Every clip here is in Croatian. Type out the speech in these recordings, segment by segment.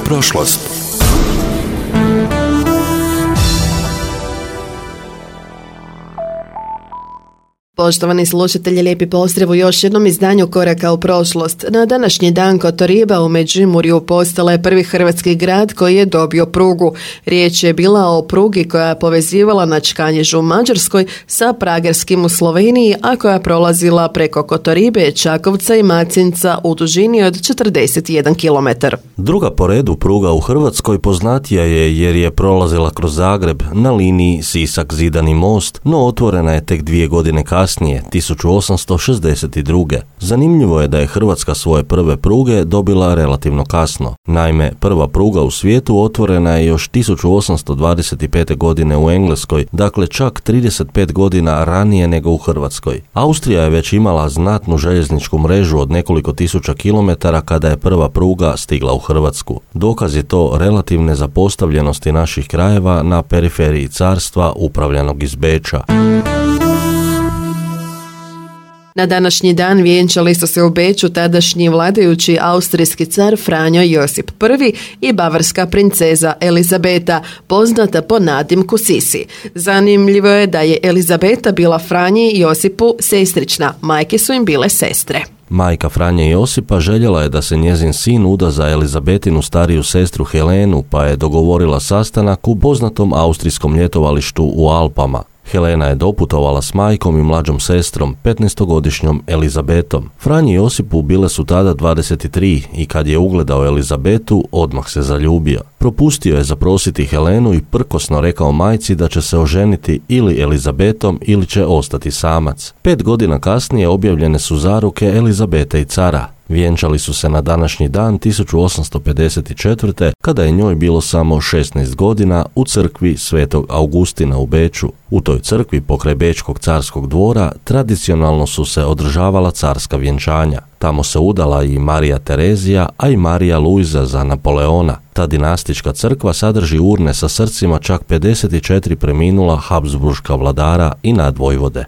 prošlost. Poštovani slušatelji, lijepi pozdrav u još jednom izdanju Koraka u prošlost. Na današnji dan Kotoriba u Međimurju postala je prvi hrvatski grad koji je dobio prugu. Riječ je bila o prugi koja je povezivala Načkanježu u Mađarskoj sa Pragerskim u Sloveniji, a koja je prolazila preko Kotoribe, Čakovca i Macinca u dužini od 41 km. Druga po redu pruga u Hrvatskoj poznatija je jer je prolazila kroz Zagreb na liniji Sisak-Zidani most, no otvorena je tek 2 godine kasnije, 1862. Zanimljivo je da je Hrvatska svoje prve pruge dobila relativno kasno. Naime, prva pruga u svijetu otvorena je još 1825. godine u Engleskoj, dakle čak 35 godina ranije nego u Hrvatskoj. Austrija je već imala znatnu željezničku mrežu od nekoliko tisuća kilometara kada je prva pruga stigla u Hrvatsku. Dokaz je to relativne zapostavljenosti naših krajeva na periferiji carstva upravljanog iz Beča. Na današnji dan vjenčali su se u Beču tadašnji vladajući austrijski car Franjo Josip I i bavarska princeza Elizabeta, poznata po nadimku Sisi. Zanimljivo je da je Elizabeta bila Franji Josipu sestrična, majke su im bile sestre. Majka Franje Josipa željela je da se njezin sin uda za Elizabetinu stariju sestru Helenu, pa je dogovorila sastanak u poznatom austrijskom ljetovalištu u Alpama. Helena je doputovala s majkom i mlađom sestrom, 15-godišnjom Elizabetom. Franji Josipu bile su tada 23 i kad je ugledao Elizabetu, odmah se zaljubio. Propustio je zaprositi Helenu i prkosno rekao majci da će se oženiti ili Elizabetom ili će ostati samac. 5 godina kasnije objavljene su zaruke Elizabete i cara. Vjenčali su se na današnji dan 1854. kada je njoj bilo samo 16 godina u crkvi Svetog Augustina u Beču. U toj crkvi pokraj Bečkog carskog dvora tradicionalno su se održavala carska vjenčanja. Tamo se udala i Marija Terezija, a i Marija Luiza za Napoleona. Ta dinastička crkva sadrži urne sa srcima čak 54 preminula habsburška vladara i nadvojvode.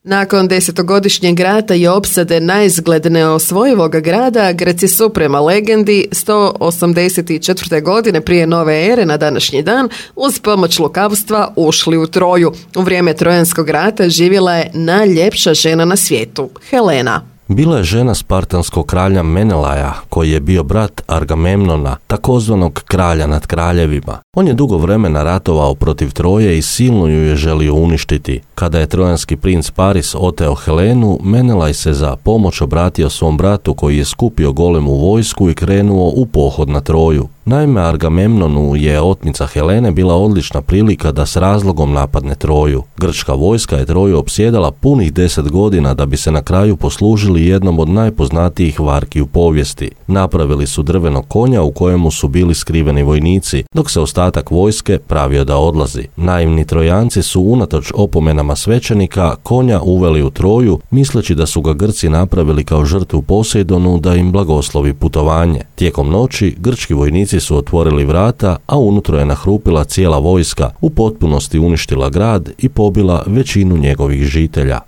Nakon 10-godišnjeg rata i opsade naizgled neosvojivog grada, Grci su prema legendi 184. godine prije nove ere na današnji dan uz pomoć lukavstva ušli u Troju. U vrijeme Trojanskog rata živjela je najljepša žena na svijetu, Helena. Bila je žena spartanskog kralja Menelaja, koji je bio brat Agamemnona, takozvanog kralja nad kraljevima. On je dugo vremena ratovao protiv Troje i silno ju je želio uništiti. Kada je trojanski princ Paris oteo Helenu, Menelaj se za pomoć obratio svom bratu koji je skupio golemu vojsku i krenuo u pohod na Troju. Naime, Agamemnonu je otmica Helene bila odlična prilika da s razlogom napadne Troju. Grčka vojska je Troju opsjedala punih 10 godina da bi se na kraju poslužili jednom od najpoznatijih varki u povijesti. Napravili su drvenog konja u kojemu su bili skriveni vojnici, dok se ostatak vojske pravio da odlazi. Naivni Trojanci su unatoč opomenama svećenika konja uveli u Troju, misleći da su ga Grci napravili kao žrtvu Poseidonu da im blagoslovi putovanje. Tijekom noći grčki vojnici su otvorili vrata, a unutra je nahrupila cijela vojska, u potpunosti uništila grad i pobila većinu njegovih žitelja.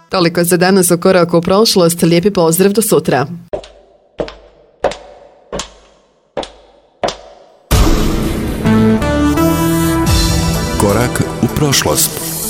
Toliko za danas u Koraku u prošlost. Lijepi pozdrav, do sutra. Korak u prošlost.